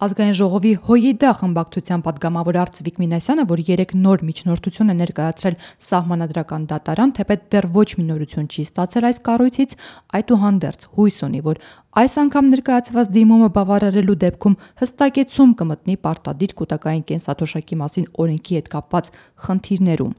Ազգային ժողովի ՀՅԴ խմբակցության պատգամավոր Արծվիկ Մինասյանը, որ 3 նոր միջնորդություն է ներկայացրել Սահմանադրական դատարան, թեպետ դեռ ոչ մի նորություն չի ստացել այս կառույցից, այդուհանդերձ հույս ունի, որ այս անգամ ներկայացված դիմումը բավարարելու դեպքում հստակեցում կմտնի պարտադիր կուտակային կենսաթոշակի մասին օրենքի հետ կապված խնդիրներում։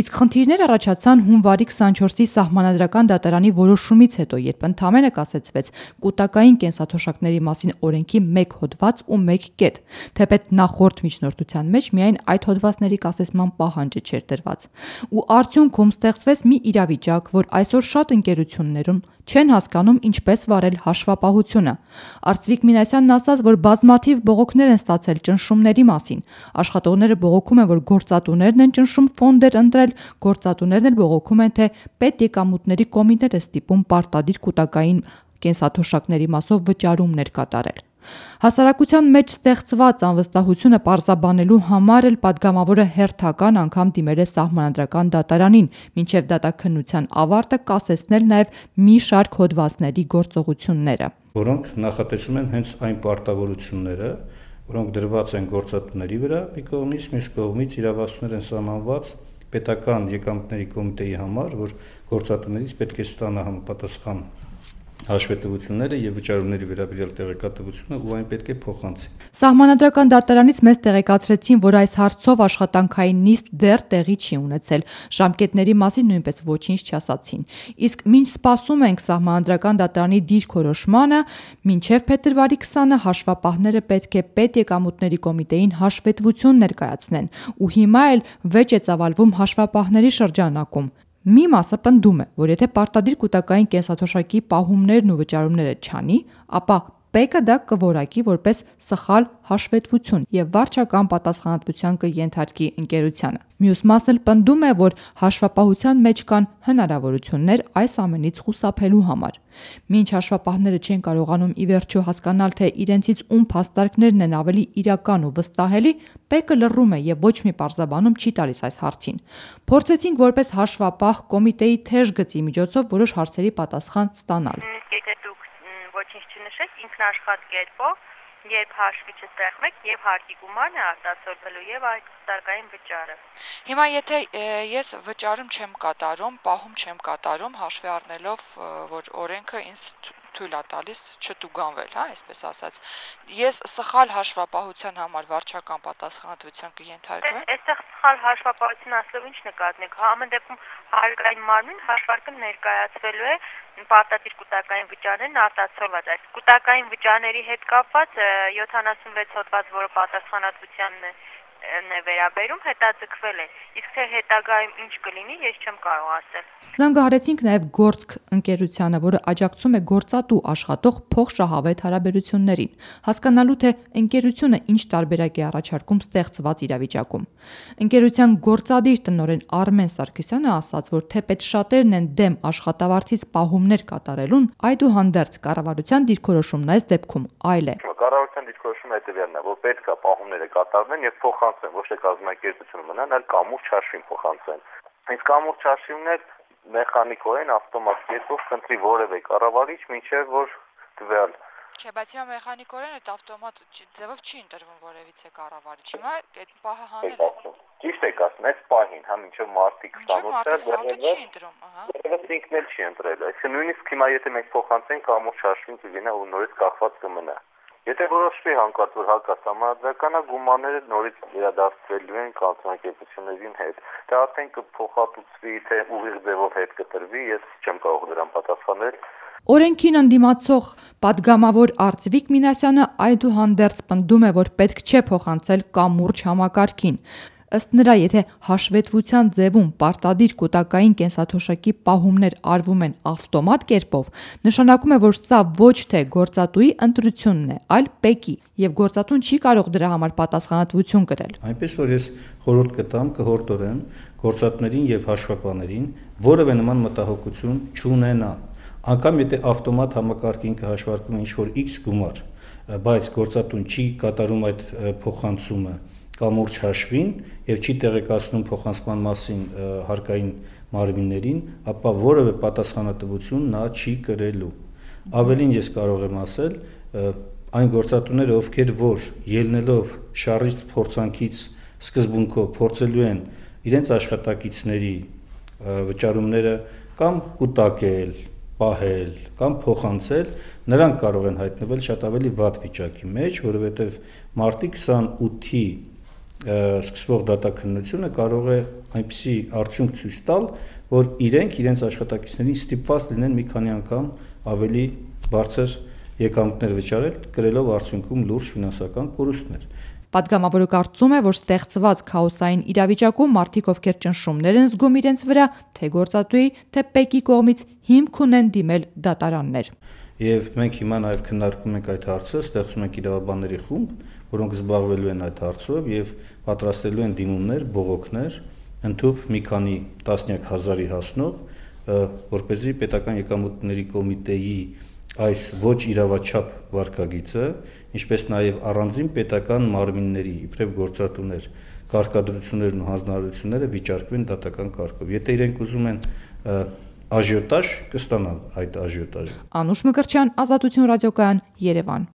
Իսկ խնդիրներ առաջացան հունվարի 24-ի Սահմանադրական դատարանի որոշումից հետո, երբ ընդամենը կասեցվեց կուտակային կենսաթոշակների մասին օրենքի 1 հոդված ու 1 կետ, թեպետ նախորդ միջնորդության մեջ միայն այդ հոդվածների կասեցման պահանջը չէր դրված։ Ու արդյունքում ստեղծվեց մի իրավիճակ, որ այսօր շատ ընկերություններում չեն հասկանում ինչպես վարել հաշվապահությունը։ Արծվիկ Մինասյանն ասաց, որ բազմաթիվ բողոքներ են ստացել ճնշումների մասին։ Աշխատողները բողոքում են, որ գործատուներն են ճնշում ֆոնդեր ընտրել, գործատուներն էլ բողոքում են, թե պետեկամուտների կոմիտետ է ստիպում պարտադիր կուտակային կենսաթոշակների մասով վճարումներ կատարել։ Հասարակության մեջ ստեղծված անվստահությունը պարզաբանելու համար էլ պատգամավորը հերթական անգամ դիմել է Սահմանադրական դատարանին, մինչև դատաքննության ավարտը կասեցնել նաև մի շարք հոդվածների գործողությունները, որոնք նախատեսում են հենց այն պարտավորությունները, որոնք դրված են գործատուների վրա մի կողմից, մյուս կողմից իրավասություններ են սահմանված պետական եկամուտների կոմիտեի համար, որ գործատուներից պետք է ստանա համապատասխան հաշվետվությունները եւ վճարումների վերաբերյալ տեղեկատվությունը ու այն պետք է փոխանցի։ Սահմանադրական դատարանից մեզ տեղեկացրեցին, որ այս հարցով աշխատանքային նիստ դեռ տեղի չի ունեցել, ժամկետների մասին նույնպես ոչինչ չասացին։ Իսկ մինչ սպասում ենք Սահմանադրական դատարանի դիրքորոշմանը, մինչև փետրվարի 20-ը հաշվապահները պետք է պետեկամուտների կոմիտեին հաշվետվություն ներկայացնեն, ու հիմա էլ վեճ է ծավալվում հաշվապահների շրջանակում։ Մի մասը պնդում է, որ եթե պարտադիր կուտակային կենսաթոշակի պահումներն ու վճարումները չանի, ապա ՊԵԿ-ը դա կորակի որպես սխալ հաշվետվություն եւ վարչական պատասխանատվության կենթարկի ընկերությանը։ Մյուս մասն էլ պնդում է, որ հաշվապահության մեջ կան հնարավորություններ այս ամենից խուսափելու համար։ Մինչ հաշվապահները չեն կարողանում ի վերջո հասկանալ, թե իրենցից ում փաստարկներն են ավելի իրական ու վստահելի, ՊԵԿ-ը լռում է եւ ոչ մի պարզաբանում չի տալիս այս հարցին։ Փորձեցինք որպես հաշվապահ կոմիտեի թեժ գծի միջոցով որոշ հարցերի պատասխան ստանալ։ Ոչինչ չնշեք, ինքնաշխատ կերպով, երբ հաշվի չստեղծեք եւ հարկի գումարն է արտացոլվելու եւ այդ կուտակային վճարը։ Հիմա եթե ես վճարում չեմ կատարում, պահում չեմ կատարում, հաշվի առնելով, որ օրենքը ինձ թույլ է տալիս չտուգանվել, այսպես ասած, ես սխալ հաշվապահության համար վարչական պատասխանատվության կենթարկվեմ։ Այստեղ սխալ հաշվապահություն ասելով ինչ նկատենք, ամեն դեպքում հարկային մարմին հաշվարկը ներկայացվելու է պարտադիր կուտակային վճարներն արտացոլված։ Այս կուտակային վճարների հետ կապված 76 հոդված, որը պատասխանատվությանն է վերաբերում, հետաձգվել է։ Իսկ թե հետագայում ինչ կլինի, ես չեմ կարող ասել։ Զանգահարեցինք նաև Գործք ընկերությանը, որը աջակցում է գործատու աշխատող փոխշահավետ հարաբերություններին, հասկանալու թե ընկերությունը ինչ տարբերակ է առաջարկում ստեղծված իրավիճակում։ Ընկերության գործադիր տնօրեն Արմեն Սարգսյանը ասաց, որ թեպետ շատերն են դեմ աշխատավարձից պահումներ կատարելուն, այդուհանդերձ կառավարության դիրքորոշումն այս դեպքում այլ է։ Կառավարության դիրքորոշումը հետևյալն է, որ պետք է պահումները կատարվեն եւ փոխանցվեն, ոչ թե կազմակերպությունը մնան, այլ կամուրջ հաշվին փոխանցվեն։ Այս կամուրջ հաշիվներ մեխանիկորեն ավտոմատ կերպով կընտրի որևէ կառավարիչ, մինչև որ տվյալ Չէ, բայց հիմա մեխանիկորեն այդ ավտոմատ ձևով չի ընտրվում որևիցե կառավարիչ։ Հիմա այդ պահը հանել է։ Ճիշտ եք ասում, այս պահին, մինչև մարտի 28-ը չի ընտրում, որևէ ինքն էլ չի ընտրել։ Այսինքն նույնիսկ հիմա եթե մենք փոխանցենք կամուրջ հաշվին կգնա ու նորից կախված կմնա։ Եթե որոշվի հանկարծ որ հակասահմանադրական գումարները նորից վերադարձվելու են կազմակերպություններին հետ, դա արդեն կփոխհատուցվի, թե ուղիղ ձևով հետ կտրվի, ես չեմ կարող դրան պատասխանել։ Օրենքին ընդդիմացող պատգամավոր Արծվիկ Մինասյանը այդուհանդերձ պնդում է, որ պետք չէ փոխանցել կամուրջ համակարգին։ Ըստ նրա, եթե հաշվետվության ձևում պարտադիր կուտակային կենսաթոշակի պահումներ արվում են ավտոմատ կերպով, նշանակում է, որ սա ոչ թե գործատուի ընտրությունն է, այլ ՊԵԿ-ի, եւ գործատուն չի կարող դրա համար պատասխանատվություն կրել։ Այնպես որ ես խորհուրդ կտամ, կհորդորեմ գործատուներին եւ հաշվապահներին որևէ նման մտահոգություն չունենան։ Անկամ եթե ավտոմատ համակարգին կհաշվարկվում ինչ-որ X գումար, բայց գործատուն չի կատարում այդ փոխանցումը կամուրջ հաշվին եւ չի տեղեկացնում փոխանցման մասին հարկային մարմիններին, ապա որևէ պատասխանատվություն նա չի կրելու։ Ավելին ես կարող եմ ասել, այն գործատուները, ովքեր որ ելնելով շարժիչ փորձանքից սկզբունքով փորձելու են իրենց աշխատակիցների վճարումները կամ կուտակել, պահել կամ փոխանցել, նրանք կարող են հայտնվել շատ ավելի վատ վիճակի մեջ, որովհետև մարտի 28-ի սկսվող դատաքննությունը կարող է այնպիսի արդյունք ցույց տալ, որ իրենց աշխատակիցներին ստիպված լինեն մի քանի անգամ ավելի բարձր եկամուտներ վճարել, կրելով արդյունքում լուրջ ֆինանսական կորուստներ։ Պատգամավորը կարծում է, որ ստեղծված քաոսային իրավիճակում մարդիկ, ովքեր ճնշումներ են զգում իրենց վրա, թե գործատուի, թե ՊԵԿ-ի կողմից հիմք ունեն դիմել դատարաններ։ Եվ մենք հիմա նաև քննարկում ենք այդ հարցը, ստեղծում ենք իրավաբանների խումբ, որոնք զբաղվելու են այդ հարցով եւ պատրաստելու են դիմումներ, բողոքներ, ընդհանուր մի քանի տասնյակ հազարի հասնող, որպեսզի պետական եկամուտների կոմիտեի այս ոչ իրավաչափ վարքագիծը, ինչպես նաև առանձին պետական մարմինների, իբրև գործատուներ, կարգադրություններն ու հանձնարարությունները վիճարկվեն դատական կարգով։ Եթե իրենք ուզում են աժիոտաժ, կստանան այդ աժիոտաժը։ Անուշ Մկրտչյան, Ազատություն ռադիոկայան, Երևան։